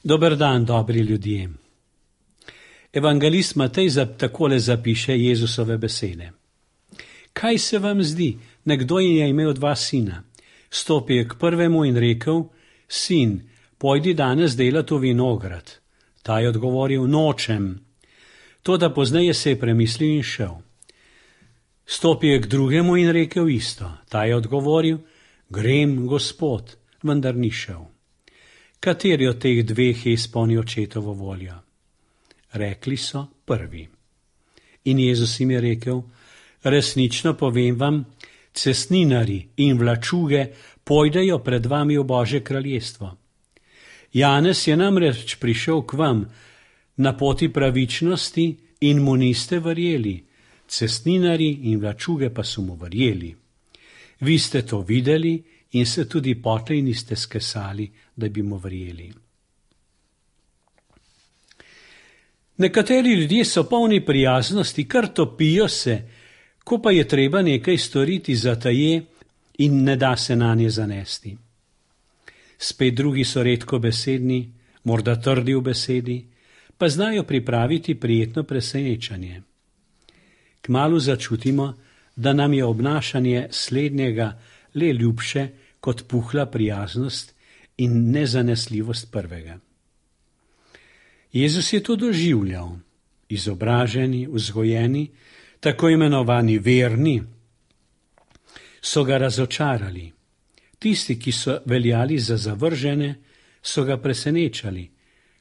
Dober dan, dobri ljudje. Evangelist Matej takole zapiše Jezusove besede. Kaj se vam zdi? Nekdo je imel 2 sina. Stopil je k prvemu in rekel: Sin, pojdi danes delat v vinograd. Ta je odgovoril: Nočem. Toda pozneje se je premislil in šel. Stopil je k drugemu in rekel isto. Ta je odgovoril: Grem, Gospod, vendar ni šel. Kateri od teh 2 je izpolnil očetovo voljo? Rekli so: prvi. In Jezus jim je rekel: resnično povem vam, cestninarji in vlačuge pojdejo pred vami v Božje kraljestvo. Janez je namreč prišel k vam na poti pravičnosti in mu niste verjeli, cestninarji in vlačuge pa so mu verjeli. Vi ste to videli in se tudi potlej niste skesali, da bi mu verjeli. Nekateri ljudje so polni prijaznosti, kar topijo se, ko pa je treba nekaj storiti zataje in ne da se nanje zanesti. Spet drugi so redko besedni, morda trdi v besedi, pa znajo pripraviti prijetno presenečenje. Kmalu začutimo, da nam je obnašanje slednjega le ljubše kot puhla prijaznost in nezanesljivost prvega. Jezus je to doživljal. Izobraženi, vzgojeni, tako imenovani verni, so ga razočarali. Tisti, ki so veljali za zavržene, so ga presenečali,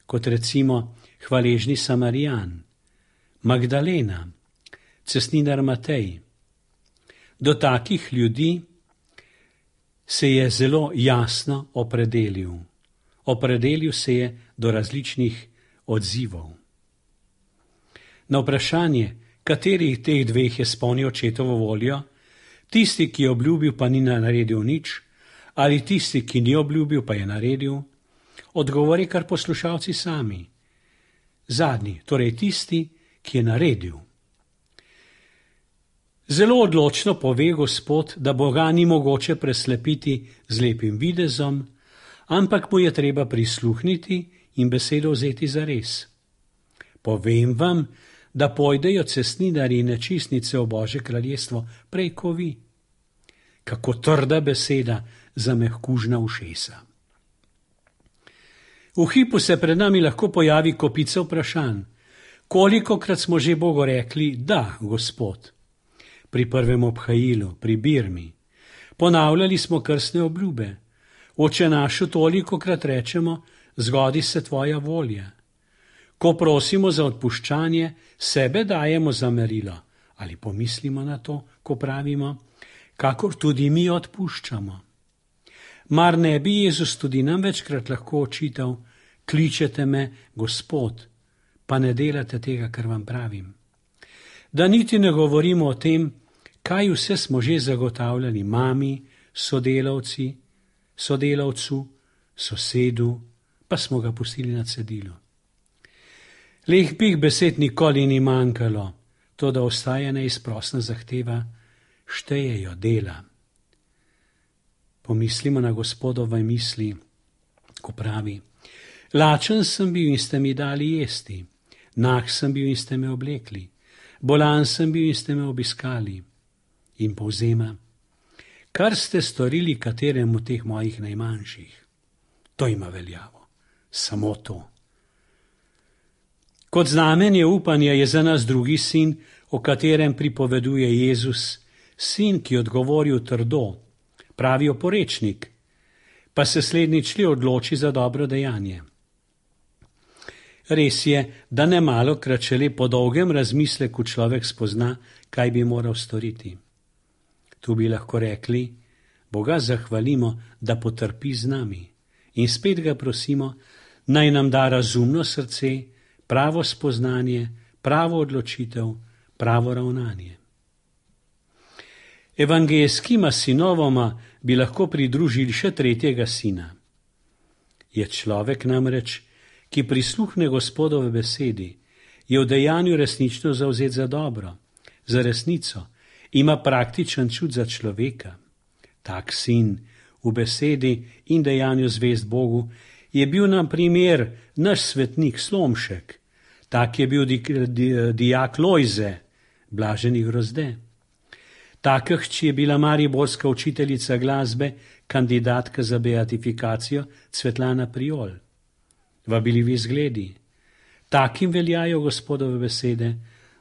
kot recimo hvaležni Samarijan, Magdalena, cestninar Matej. Do takih ljudi se je zelo jasno opredelil. Opredelil se je do različnih odzivov. Na vprašanje, katerih teh 2 je izpolnil očetovo voljo, tisti, ki je obljubil, pa ni naredil nič, ali tisti, ki ni obljubil, pa je naredil, odgovori kar poslušalci sami. Zadnji, torej tisti, ki je naredil. Zelo odločno pove Gospod, da Boga ni mogoče preslepiti z lepim videzom, ampak mu je treba prisluhniti in besedo vzeti zares. Povem vam, da pojdejo cestninarji in nečistnice v Božje kraljestvo prej ko vi. Kako trda beseda za mehkužna ušesa. V hipu se pred nami lahko pojavi kopica vprašanj. Kolikokrat smo že Bogu rekli: da, Gospod. Pri prvem obhajilu, pri birmi. Ponavljali smo krstne obljube. Oče našu tolikokrat rečemo: zgodi se tvoja volja. Ko prosimo za odpuščanje, sebe dajemo za merilo. Ali pomislimo na to, ko pravimo: kakor tudi mi odpuščamo. Mar ne bi Jezus tudi nam večkrat lahko očital: kličete me, Gospod, pa ne delate tega, kar vam pravim. Da niti ne govorimo o tem, kaj vse smo že zagotavljali mami, sodelavcu, sosedu, pa smo ga pustili na cedilu. Lepih besed nikoli ni manjkalo, to da ostaja neizprosna zahteva: štejejo dela. Pomislimo na Gospodove misli, ko pravi: lačen sem bil in ste mi dali jesti, nag sem bil in ste me oblekli, bolan sem bil in ste me obiskali. In povzema: kar ste storili kateremu teh mojih najmanjših, to ima veljavo, samo to. Kot znamenje upanja je za nas drugi sin, o katerem pripoveduje Jezus, sin, ki je odgovoril trdo, pravi oporečnik, pa se slednjič le odloči za dobro dejanje. Res je, da ne malokrat šele po dolgem razmisleku človek spozna, kaj bi moral storiti. Tu bi lahko rekli: Boga zahvalimo, da potrpi z nami, in spet ga prosimo, naj nam da razumno srce, pravo spoznanje, pravo odločitev, pravo ravnanje. Evangelskima sinovoma bi lahko pridružili še 3. sina. Je človek namreč, ki prisluhne Gospodove besedi, je v dejanju resnično zavzet za dobro, za resnico, ima praktičen čut za človeka. Tak sin v besedi in dejanju zvest Bogu je bil nam primer naš svetnik Slomšek, tak je bil dijak Lojze, blaženi Grozde. Taka hči je bila mariborska učiteljica glasbe, kandidatka za beatifikacijo Cvetlana Priol. Vabili zgledi. Takim veljajo Gospodove besede,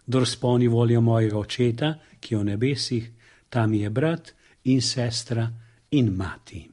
kdor spolni voljo mojega očeta, ki je v nebesih, tam je brat in sestra in mati.